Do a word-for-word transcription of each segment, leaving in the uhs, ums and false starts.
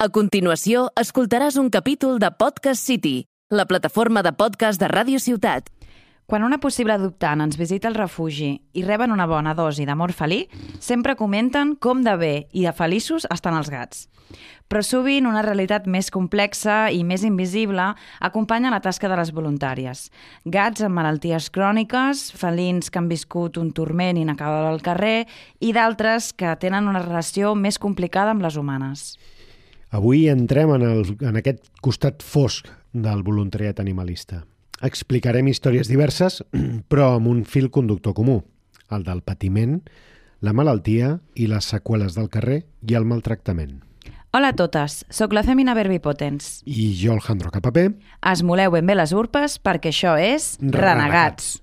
A continuació, escoltaràs un capítol de Podcast City, la plataforma de podcast de Ràdio Ciutat. Quan una possible adoptant ens visita al refugi i reben una bona dosi d'amor felí, sempre comenten com de bé i de feliços estan els gats. Però sovint una realitat més complexa i més invisible acompanya la tasca de les voluntàries. Gats amb malalties cròniques, felins que han viscut un turment inacabable al carrer i d'altres que tenen una relació més complicada amb les humanes. Avui entrem en, el, en aquest costat fosc del voluntariat animalista. Explicarem històries diverses, però amb un fil conductor comú, el del patiment, la malaltia i les seqüeles del carrer i el maltractament. Hola a totes, sóc la Femina Verbipotens. I jo, Alejandro Capapé. Esmoleu ben bé les urpes perquè això és Renegats.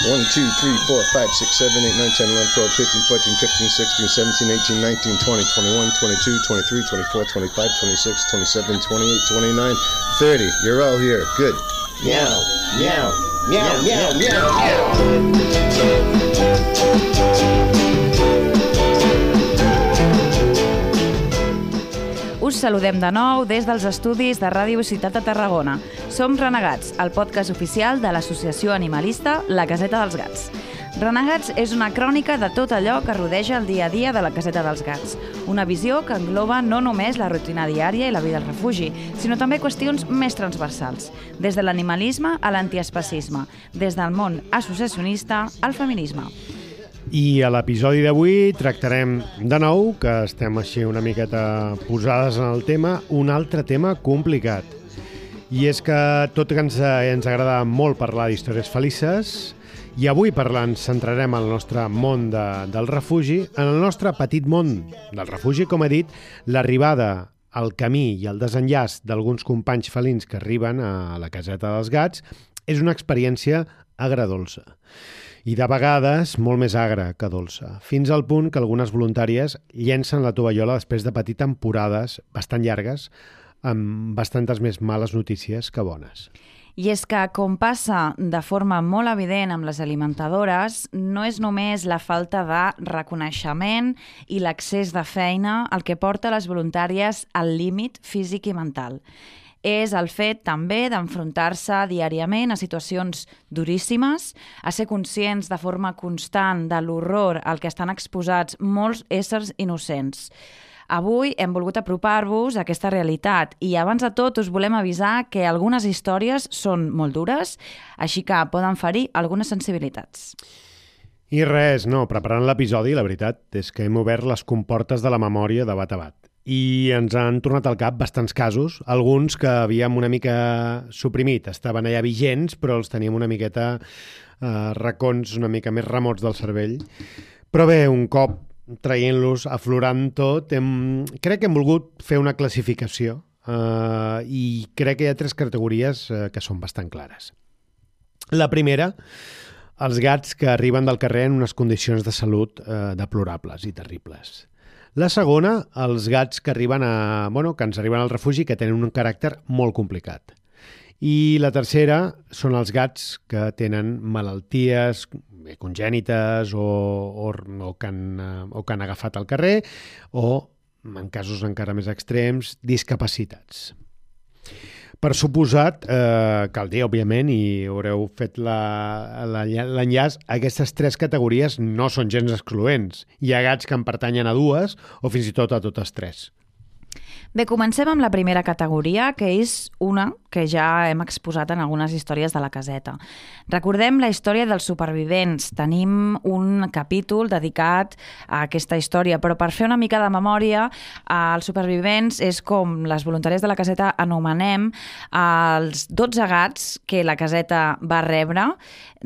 one, two, three, four, five, six, seven, eight, nine, ten, eleven, twelve, thirteen, fourteen, fifteen, sixteen, seventeen, eighteen, nineteen, twenty, twenty-one, twenty-two, twenty-three, twenty-four, twenty-five, twenty-six, twenty-seven, twenty-eight, twenty-nine, thirty. You're all here. Good. Meow, meow, meow, meow, meow, meow. Us saludem de nou des dels estudis de Ràdio Ciutat de Tarragona. Som Renegats, el podcast oficial de l'associació animalista La Caseta dels Gats. Renegats és una crònica de tot allò que rodeja el dia a dia de la Caseta dels Gats. Una visió que engloba no només la rutina diària i la vida al refugi, sinó també qüestions més transversals, des de l'animalisme a l'antiespecisme, des del món associacionista al feminisme. I a l'episodi d'avui tractarem de nou, que estem així una miqueta posades en el tema, un altre tema complicat. I és que tot que ens, ens agrada molt parlar d'històries felices, i avui parlant centrarem el nostre món de, del refugi, en el nostre petit món del refugi, com he dit, l'arribada, el camí i el desenllaç d'alguns companys felins que arriben a la Caseta dels Gats és una experiència agradolça. I de vegades molt més agra que dolça, fins al punt que algunes voluntàries llencen la tovallola després de patir temporades bastant llargues amb bastantes més males notícies que bones. I és que, com passa de forma molt evident amb les alimentadores, no és només la falta de reconeixement i l'accés de feina el que porta les voluntàries al límit físic i mental. És el fet també d'enfrontar-se diàriament a situacions duríssimes, a ser conscients de forma constant de l'horror al que estan exposats molts éssers innocents. Avui hem volgut apropar-vos a aquesta realitat i abans de tot us volem avisar que algunes històries són molt dures, així que poden ferir algunes sensibilitats. I res, no, preparant l'episodi, la veritat és que hem obert les comportes de la memòria de bat a bat. I ens han tornat al cap bastants casos, alguns que havíem una mica suprimit, estaven allà vigents, però els teníem una miqueta eh, racons una mica més remots del cervell. Però bé, un cop traient-los, aflorant tot, hem, crec que hem volgut fer una classificació eh, i crec que hi ha tres categories eh, que són bastant clares. La primera, els gats que arriben del carrer en unes condicions de salut eh, deplorables i terribles. La segona, els gats que arriben a, bueno, que ens arriben al refugi que tenen un caràcter molt complicat. I la tercera són els gats que tenen malalties congènites o, o, o, que han, o que han agafat al carrer o, en casos encara més extrems, discapacitats. Per suposat, eh, cal dir, òbviament, i haureu fet l'enllaç, aquestes tres categories no són gens excloents. Hi ha gats que en pertanyen a dues o fins i tot a totes tres. Bé, comencem amb la primera categoria, que és una que ja hem exposat en algunes històries de la caseta. Recordem la història dels supervivents. Tenim un capítol dedicat a aquesta història, però per fer una mica de memòria, els supervivents és com les voluntàries de la caseta anomenem els dotze gats que la caseta va rebre.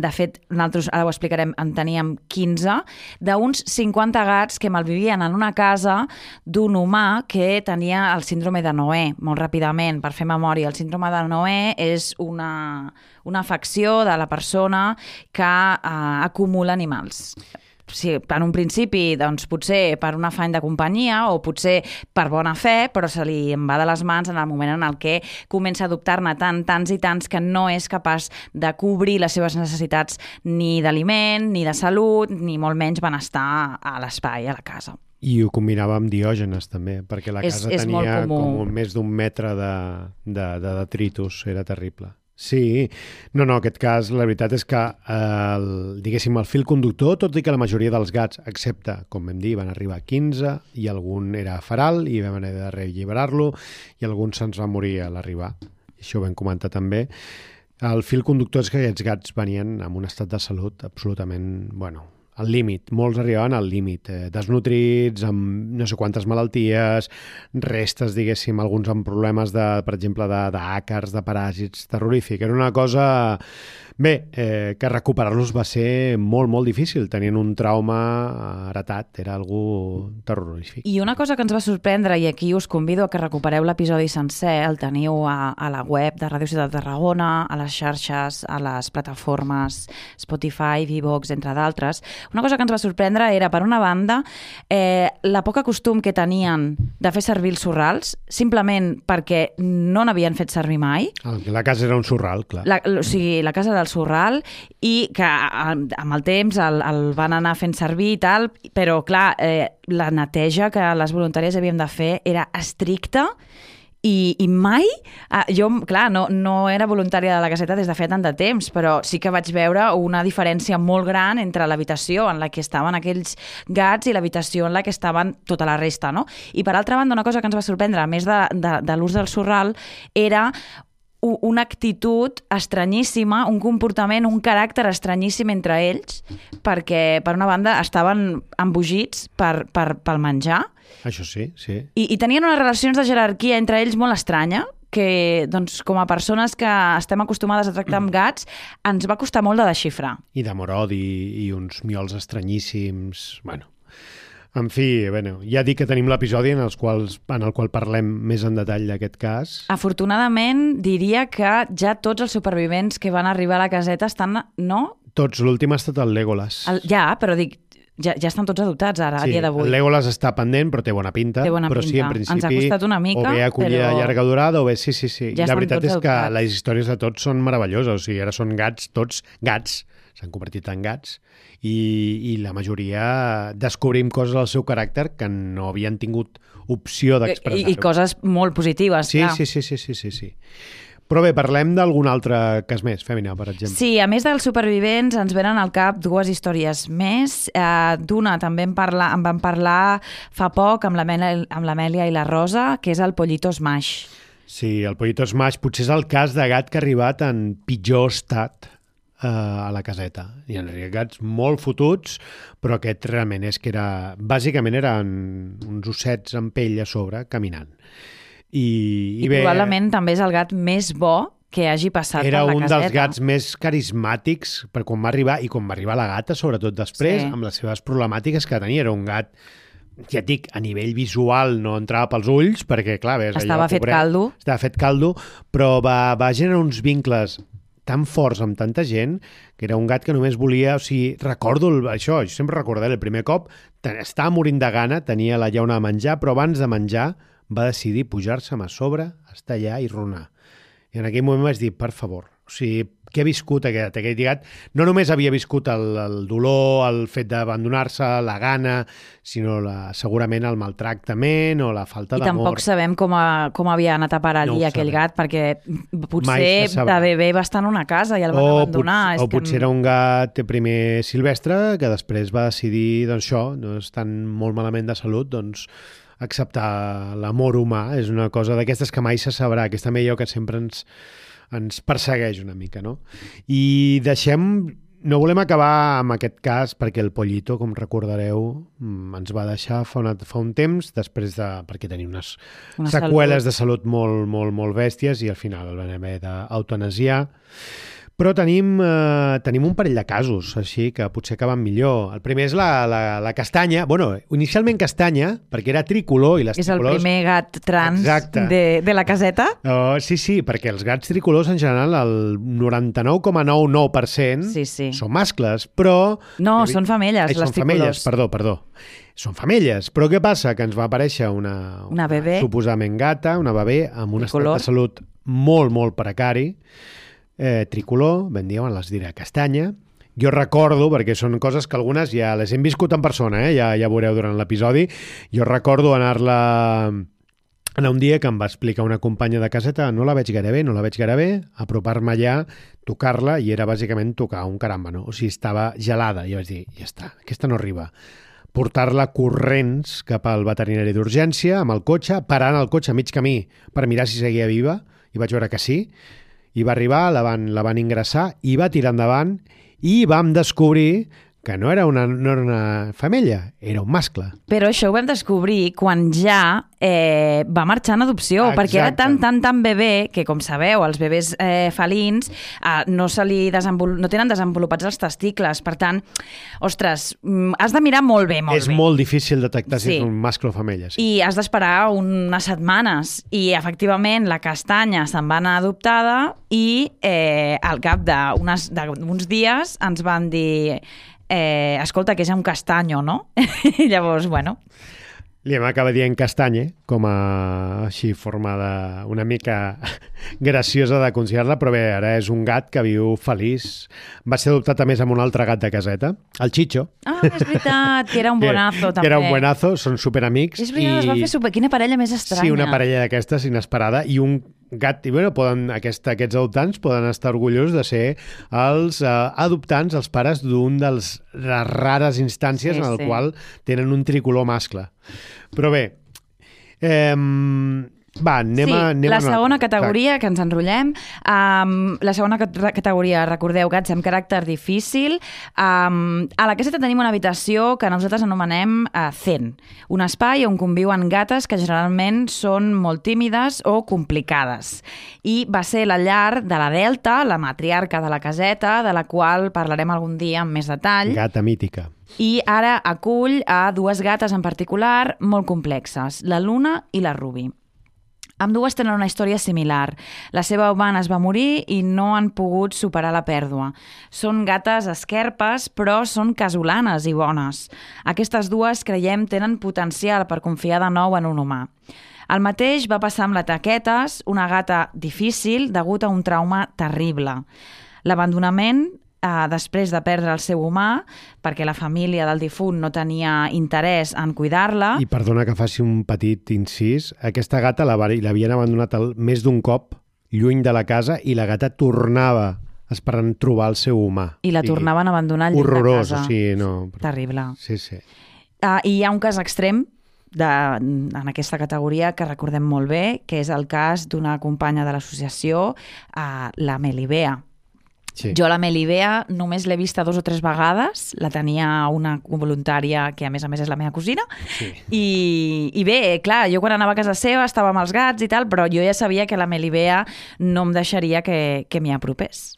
De fet, nosaltres, ara ho explicarem, en teníem quinze, d'uns cinquanta gats que malvivien en una casa d'un humà que tenia el síndrome de Noè, molt ràpidament, per fer memòria. El síndrome de Noè és una, una afecció de la persona que eh, acumula animals. Sí, en un principi, doncs, potser per un afany de companyia o potser per bona fe, però se li en va de les mans en el moment en el què comença a adoptar-ne tant, tants i tants que no és capaç de cobrir les seves necessitats ni d'aliment, ni de salut, ni molt menys benestar a l'espai, a la casa. I ho combinava amb Diògenes, també, perquè la És- casa és molt tenia comú. com un, més d'un metre de, de, de detritus, era terrible. Sí, no, no, aquest cas, la veritat és que, eh, el, diguéssim, el fil conductor, tot i que la majoria dels gats, excepte, com vam dir, van arribar a quinze, i algun era feral, i vam haver de relliberar-lo, i algun se'ns va morir a l'arribar. Això ho vam comentar també. El fil conductor és que aquests gats venien amb un estat de salut absolutament, bueno, al límit. Molts arribaven al límit, eh, desnutrits, amb no sé quantes malalties, restes, diguéssim, alguns amb problemes, de, per exemple, d'àcars, de, de paràsits, terrorífic. Era una cosa... Bé, eh, que recuperar-los va ser molt, molt difícil. Tenien un trauma heretat, era algú terrorífic. I una cosa que ens va sorprendre, i aquí us convido a que recupereu l'episodi sencer, el teniu a, a la web de Ràdio Ciutat de Tarragona, a les xarxes, a les plataformes Spotify, Vivox, entre d'altres. Una cosa que ens va sorprendre era, per una banda, eh, la poca costum que tenien de fer servir els sorrals, simplement perquè no n'havien fet servir mai. La casa era un sorral, clar. La, o sigui, la casa del sorral, i que amb el temps el, el van anar fent servir i tal, però clar, eh, la neteja que les voluntàries havíem de fer era estricta i, i mai, eh, jo, clar, no, no era voluntària de la caseta des de feia tant de temps, però sí que vaig veure una diferència molt gran entre l'habitació en la que estaven aquells gats i l'habitació en la que estaven tota la resta, no? I per altra banda, una cosa que ens va sorprendre, a més de, de, de l'ús del sorral, era una actitud estranyíssima, un comportament, un caràcter estranyíssim entre ells, perquè, per una banda, estaven embogits per, per, pel menjar. Això sí, sí. I, i tenien unes relacions de jerarquia entre ells molt estranya, que, doncs, com a persones que estem acostumades a tractar amb gats, ens va costar molt de desxifrar. I d'amor-odi i uns miols estranyíssims, bueno... En fi, bueno, ja dic que tenim l'episodi en, els quals, en el qual parlem més en detall d'aquest cas. Afortunadament, diria que ja tots els supervivents que van arribar a la caseta estan, no? Tots, l'últim ha estat el Legolas. El, ja, però dic, ja, ja estan tots adoptats ara, sí, a dia d'avui. El Legolas està pendent, però té bona pinta. Té bona però pinta. sí, en principi, ens ha costat una mica, o bé acollida però... llarga durada, o bé sí, sí, sí. Ja la veritat és que adoptats. les històries de tots són meravelloses. O sigui, ara són gats, tots gats, s'han convertit en gats, i, i la majoria descobrim coses del seu caràcter que no havien tingut opció d'expressar-ho. I, I coses molt positives, sí, clar. Sí, sí, sí, sí, sí, sí. Però bé, parlem d'algun altre cas més, Fèmina, per exemple. Sí, a més dels supervivents ens venen al cap dues històries més. Eh, D'una també en, parla, en vam parlar fa poc amb l'Amèlia i la Rosa, que és el Pollito Smash. Sí, el Pollito Smash potser és el cas de gat que ha arribat en pitjor estat a la caseta. Hi ha gats molt fotuts, però aquest realment és que era... Bàsicament eren uns ossets amb pell a sobre, caminant. I, I, i bé, probablement també és el gat més bo que hagi passat per la caseta. Era un dels gats més carismàtics per quan va arribar, i quan va arribar la gata, sobretot després, sí. amb les seves problemàtiques que tenia. Era un gat, ja et dic, a nivell visual no entrava pels ulls, perquè, clar, ves, estava allò, fet pobret, caldo. Estava fet caldo, però va, va generar uns vincles tan forts amb tanta gent, que era un gat que només volia... O sigui, recordo el, això, jo sempre recordaré el primer cop, estava morint de gana, tenia la llauna de menjar, però abans de menjar va decidir pujar-se'm a sobre, estar allà i ronar. I en aquell moment vaig dir, per favor, o sigui, què ha viscut aquest, aquest gat? No només havia viscut el, el dolor, el fet d'abandonar-se, la gana, sinó la, segurament el maltractament o la falta d'amor. I tampoc sabem com, a, com havia anat a parar allí no aquell gat, perquè potser de bebè va estar en una casa i el van o abandonar. Pot, és o que... potser era un gat primer silvestre que després va decidir, doncs això, no estan molt malament de salut, doncs acceptar l'amor humà. És una cosa d'aquestes que mai se sabrà, aquesta millor que sempre ens ens persegueix una mica, no? I deixem... No volem acabar amb aquest cas perquè el Pollito, com recordareu, ens va deixar fa, una, fa un temps, després de... perquè tenia unes una seqüeles salut. de salut molt, molt, molt bèsties i al final el van haver d'eutanasiar. Però tenim, eh, tenim un parell de casos, així, que potser acaben millor. El primer és la, la, la castanya. Bueno, inicialment castanya, perquè era tricolor i les és tricolors... És el primer gat trans de, de la caseta? Oh, sí, sí, perquè els gats tricolors en general el noranta-nou coma noranta-nou per cent sí, sí. són mascles, però... No, són femelles, Ai, les són tricolors. Femelles, perdó, perdó. Són femelles, però què passa? Que ens va aparèixer una, una bebè, una suposadament gata, una bebè amb un estat de salut molt, molt precari, eh, tricolor, ben diuen, les diré castanya, Jo recordo, perquè són coses que algunes ja les hem viscut en persona, eh? ja, ja veureu durant l'episodi, jo recordo anar-la... anar un dia que em va explicar una companya de caseta, no la veig gaire bé, no la veig gaire bé, apropar-me allà, tocar-la, i era bàsicament tocar un caràmbano. O sigui, estava gelada. I vaig dir, ja està, aquesta no arriba. Portar-la corrents cap al veterinari d'urgència, amb el cotxe, parant el cotxe a mig camí per mirar si seguia viva, i vaig veure que sí. I va arribar, la van, la van ingressar, i va tirar endavant, i vam descobrir que no era una, no era una femella, era un mascle. Però això ho vam descobrir quan ja eh, va marxar en adopció, Exacte. perquè era tan, tan, tan bebè que, com sabeu, els bebès eh, felins eh, no, se li desenvol... no tenen desenvolupats els testicles. Per tant, ostres, has de mirar molt bé, molt és bé. És molt difícil detectar si Sí. és un mascle o femella. Sí. I has d'esperar unes setmanes. I, efectivament, la castanya se'n va anar adoptada i eh, al cap d'uns dies ens van dir... Eh, escolta, que és un castanyo, no? I llavors, bueno... Li hem acabat dient castanye, com a així formada una mica graciosa de considerar-la, però bé, ara és un gat que viu feliç. Va ser adoptat a més amb un altre gat de caseta, el Chicho. Ah, és veritat, que era un bonazo, també. Que era un buenazo, són superamics. És veritat, i... es va fer super... Quina parella més estranya. Sí, una parella d'aquestes inesperada, i un gat, i bueno, poden, aquesta, aquests adoptants poden estar orgullosos de ser els uh, adoptants, els pares d'un dels les rares instàncies Sí, en el sí. qual tenen un tricolor mascle. Però bé, eh, va, anem sí, a... Anem la a una... segona categoria, que ens enrotllem, um, la segona cat- categoria, recordeu, gats amb caràcter difícil. Um, a la caseta tenim una habitació que nosaltres anomenem uh, Zen, un espai on conviuen gates que generalment són molt tímides o complicades. I va ser la llar de la Delta, la matriarca de la caseta, de la qual parlarem algun dia amb més detall. Gata mítica. I ara acull a dues gates en particular molt complexes, la Luna i la Ruby. Ambdues tenen una història similar. La seva humana es va morir i no han pogut superar la pèrdua. Són gates esquerpes, però són casolanes i bones. Aquestes dues, creiem, tenen potencial per confiar de nou en un humà. El mateix va passar amb la Taquetes, una gata difícil degut a un trauma terrible. L'abandonament, eh, després de perdre el seu humà, perquè la família del difunt no tenia interès en cuidar-la. I perdona que faci un petit incís, aquesta gata la va- l'havien abandonat el, més d'un cop lluny de la casa i la gata tornava esperant trobar el seu humà. I la tornaven a abandonar al llit de horrorós, casa. o sigui, no... Terrible. Sí, sí. Uh, I hi ha un cas extrem de, en aquesta categoria que recordem molt bé, que és el cas d'una companya de l'associació, uh, la Melibea. sí. Jo la Melibea només l'he vista dos o tres vegades, la tenia una voluntària que a més a més és la meva cosina, Sí. I, i bé, clar, jo quan anava a casa seva estava amb els gats i tal, però jo ja sabia que la Melibea no em deixaria que, que m'hi apropés.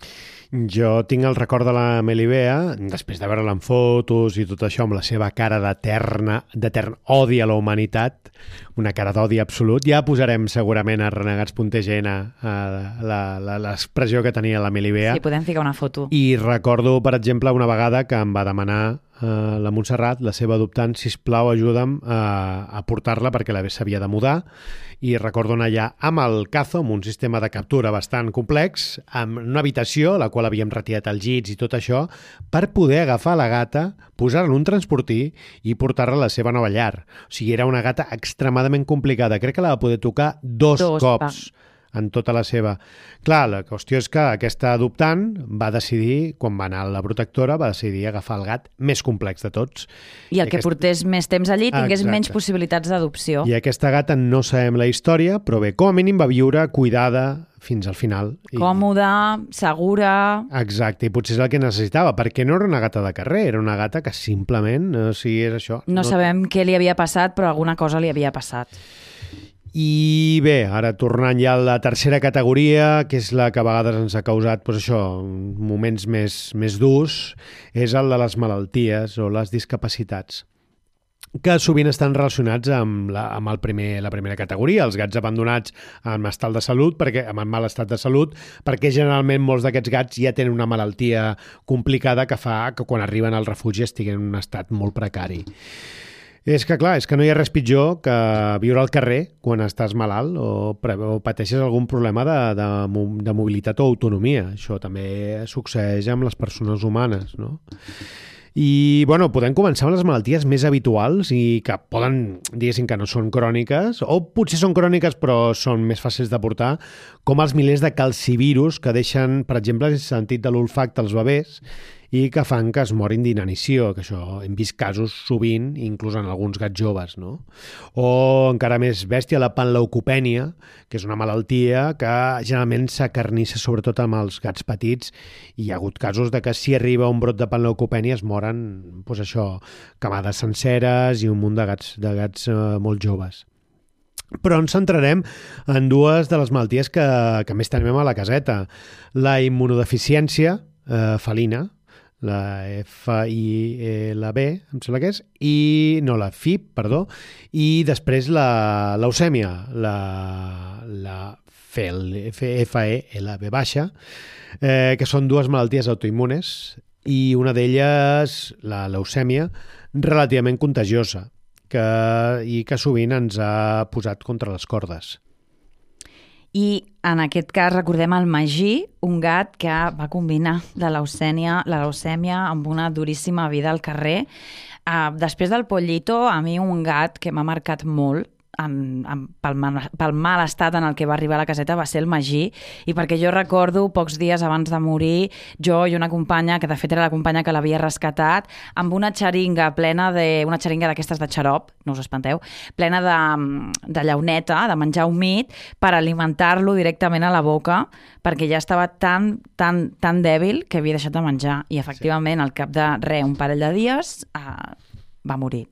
Jo tinc el record de la Melibea, després de veure-la en fotos i tot això, amb la seva cara d'eterna, d'etern odi a la humanitat, una cara d'odi absolut. Ja posarem segurament a renegats punt t g n l'expressió que tenia la Melibea. Sí, podem ficar una foto. I recordo, per exemple, una vegada que em va demanar eh, la Montserrat, la seva adoptant, sisplau, ajuda'm a, a portar-la perquè la s'havia de mudar. I recordo anar allà amb el Cazo, amb un sistema de captura bastant complex, amb una habitació, la qual havíem retirat els llits i tot això, per poder agafar la gata, posar-la en un transportí i portar-la a la seva nova llar. O sigui, era una gata extremadament complicada. Crec que la va poder tocar dos, Dos, cops. va. En tota la seva... Clar, la qüestió és que aquesta adoptant va decidir, quan va anar a la protectora, va decidir agafar el gat més complex de tots. I el que aquest- portés més temps allí tingués Exacte. menys possibilitats d'adopció. I aquesta gata no sabem la història, però bé, com a mínim va viure cuidada fins al final. I... Còmoda, segura... Exacte, i potser és el que necessitava, perquè no era una gata de carrer, era una gata que simplement, o sigui, és això. No, no sabem què li havia passat, però alguna cosa li havia passat. I bé, ara tornant ja a la tercera categoria, que és la que a vegades ens ha causat doncs això, moments més, més durs, és el de les malalties o les discapacitats, que sovint estan relacionats amb, la, amb el primer, la primera categoria, els gats abandonats amb estat de salut, perquè, amb mal estat de salut, perquè generalment molts d'aquests gats ja tenen una malaltia complicada que fa que quan arriben al refugi estiguin en un estat molt precari. És que, clar, és que no hi ha res pitjor que viure al carrer quan estàs malalt o, o pateixes algun problema de, de, de mobilitat o autonomia. Això també succeeix amb les persones humanes, no? I, bueno, podem començar amb les malalties més habituals i que poden, diguéssim, que no són cròniques, o potser són cròniques però són més fàcils de portar, com els milers de calcivirus que deixen, per exemple, el sentit de l'olfacte als bebès i que fan que es morin d'inanició, que això hem vist casos sovint, inclús en alguns gats joves, no? O encara més bèstia, la panleucopènia, que és una malaltia que generalment s'acarnissa sobretot amb els gats petits, i hi ha hagut casos de que si arriba un brot de panleucopènia es moren, doncs això, camades senceres i un munt de gats, de gats eh, molt joves. Però ens centrarem en dues de les malalties que, que més tenim a la caseta. La immunodeficiència eh, felina, la F I L B, em sembla que és, i no, la F I B, perdó, i després la leucèmia, la, la F E L B baixa, eh, que són dues malalties autoimmunes i una d'elles, la leucèmia, relativament contagiosa que, i que sovint ens ha posat contra les cordes. I en aquest cas recordem el Magí, un gat que va combinar la leucèmia, la leucèmia amb una duríssima vida al carrer. Uh, després del Pollito, a mi un gat que m'ha marcat molt, en, en, pel, mal, pel mal estat en el que va arribar a la caseta va ser el Magí, i perquè jo recordo pocs dies abans de morir, jo i una companya, que de fet era la companya que l'havia rescatat, amb una xeringa plena de, una xeringa d'aquestes de xarop, no us espanteu, plena de, de llauneta, de menjar humit, per alimentar-lo directament a la boca, perquè ja estava tan, tan, tan dèbil que havia deixat de menjar, i efectivament sí. Al cap de res, un parell de dies, eh, va morir.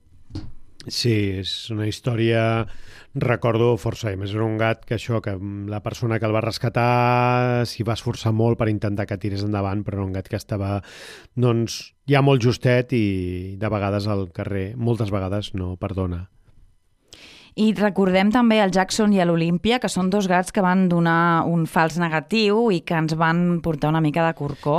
Sí, és una història, recordo força, a més era un gat que això, que la persona que el va rescatar s'hi va esforçar molt per intentar que tirés endavant, però era un gat que estava, doncs, ja molt justet i de vegades al carrer, moltes vegades no perdona. I recordem també el Jackson i l'Olímpia, que són dos gats que van donar un fals negatiu i que ens van portar una mica de corcó.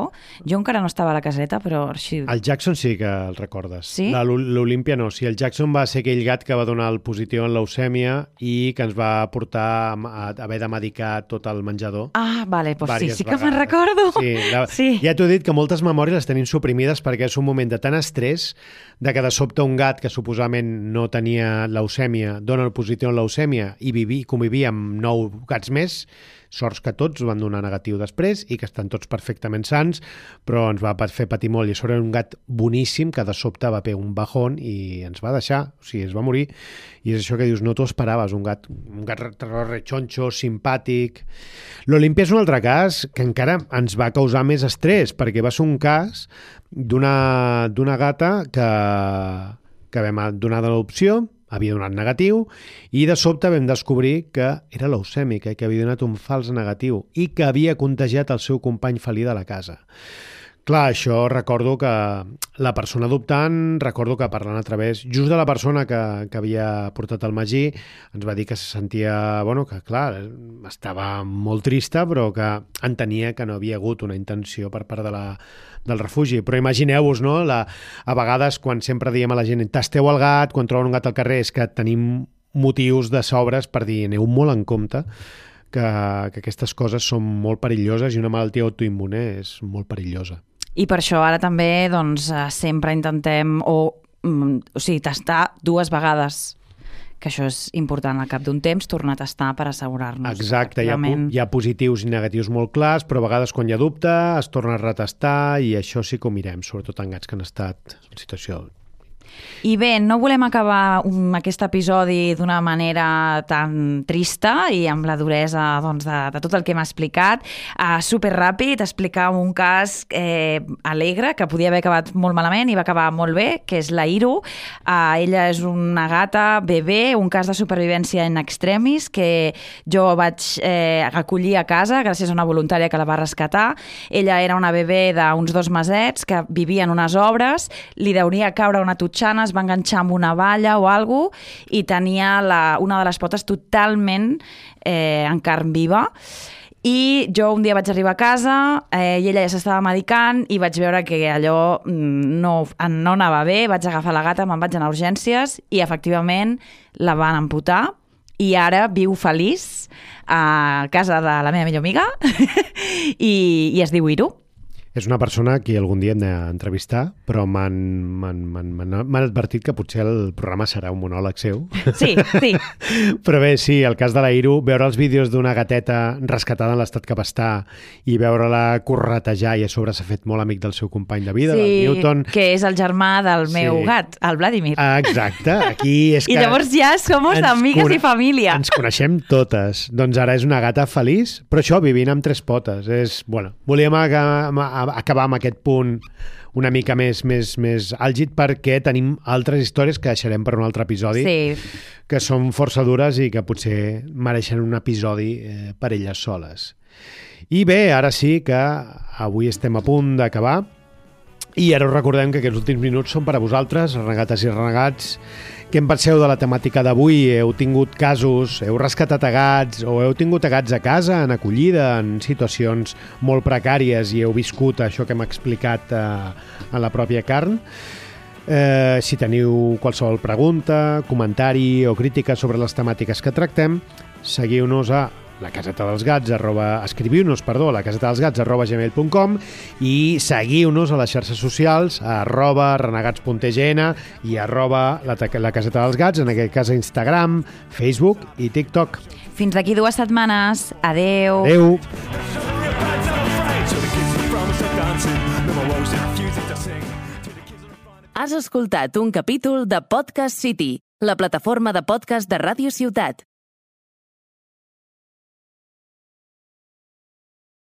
Jo encara no estava a la caseta, però... Així... El Jackson sí que el recordes. Sí? L'Olímpia no. Sí, el Jackson va ser aquell gat que va donar el positiu en leucèmia i que ens va portar a haver de medicar tot el menjador. Ah, vale, doncs sí, sí que vegades. me'n recordo. Sí, la... sí. Ja t'ho he dit que moltes memòries les tenim suprimides perquè és un moment de tant estrès de que de sobte un gat que suposadament no tenia leucèmia dona el positiu en leucèmia i vivi, convivia amb nou gats més, sorts que tots van donar negatiu després i que estan tots perfectament sans, però ens va fer patir molt. I això era un gat boníssim que de sobte va fer un bajón i ens va deixar, o sigui, es va morir. I és això que dius, no t'ho esperaves, un gat, un gat rechoncho, simpàtic. L'Olímpia és un altre cas que encara ens va causar més estrès, perquè va ser un cas d'una d'una gata que, que vam donar de l'opció, havia donat negatiu, i de sobte vam descobrir que era leucèmica i que havia donat un fals negatiu i que havia contagiat el seu company felí de la casa. Clar, això recordo que la persona adoptant, recordo que parlant a través just de la persona que, que havia portat el Magí, ens va dir que se sentia, bueno, que clar, estava molt trista, però que entenia que no havia hagut una intenció per part de la, del refugi. Però imagineu-vos, no?, la, a vegades quan sempre diem a la gent tasteu el gat, quan troben un gat al carrer, és que tenim motius de sobres per dir aneu molt en compte que, que aquestes coses són molt perilloses i una malaltia autoimmune és molt perillosa. I per això ara també doncs, sempre intentem o, o sigui, tastar dues vegades, que això és important al cap d'un temps, tornar a tastar per assegurar-nos. Exacte, hi ha, hi ha positius i negatius molt clars, però a vegades quan hi ha dubte es torna a retestar i això sí que ho mirem, sobretot en gats que han estat en situació... I bé, no volem acabar un, aquest episodi d'una manera tan trista i amb la duresa doncs, de, de tot el que hem explicat. Uh, superràpid, explicar un cas eh, alegre que podia haver acabat molt malament i va acabar molt bé, que és la Iru. Uh, ella és una gata bebè, un cas de supervivència en extremis que jo vaig eh, acollir a casa gràcies a una voluntària que la va rescatar. Ella era una bebè d'uns dos mesets que vivia en unes obres, li deuria caure una tutxana, es va enganxar amb una valla o alguna cosa i tenia la, una de les potes totalment eh, en carn viva. I jo un dia vaig arribar a casa eh, i ella ja s'estava medicant i vaig veure que allò no, no anava bé, vaig agafar la gata, me'n vaig anar a urgències i efectivament la van amputar i ara viu feliç a casa de la meva millor amiga i, i es diu Iru. És una persona que algun dia hem d'entrevistar, però m'han advertit que potser el programa serà un monòleg seu. Sí, sí. Però bé, sí, el cas de la Iru, veure els vídeos d'una gateta rescatada en l'estat que va estar i veure-la corretejar i a sobre s'ha fet molt amic del seu company de vida, sí, del Newton. Que és el germà del meu sí. gat, el Vladimir. Exacte. Aquí és que I llavors ja som amigues i família. Ens coneixem totes. Doncs ara és una gata feliç, però això, vivint amb tres potes. És, bueno, volíem acabar acabar amb aquest punt una mica més, més, més àlgid perquè tenim altres històries que deixarem per un altre episodi sí. que són força dures i que potser mereixen un episodi eh, per elles soles. I bé, ara sí que avui estem a punt d'acabar i ara us recordem que aquests últims minuts són per a vosaltres, renegates i renegats. Què en penseu de la temàtica d'avui? Heu tingut casos, heu rescatat a gats o heu tingut a gats a casa, en acollida, en situacions molt precàries i heu viscut això que hem explicat eh, en la pròpia carn? Eh, si teniu qualsevol pregunta, comentari o crítica sobre les temàtiques que tractem, seguiu-nos a la caseta dels gats, arroba, escriviu-nos, perdó, a la caseta dels gats, arroba gmail punt com i seguiu-nos a les xarxes socials, arroba renegats punt t g n i arroba la, la caseta dels gats, en aquest cas a Instagram, Facebook i TikTok. Fins d'aquí dues setmanes. Adeu. Adeu. Has escoltat un capítol de Podcast City, la plataforma de podcast de Ràdio Ciutat.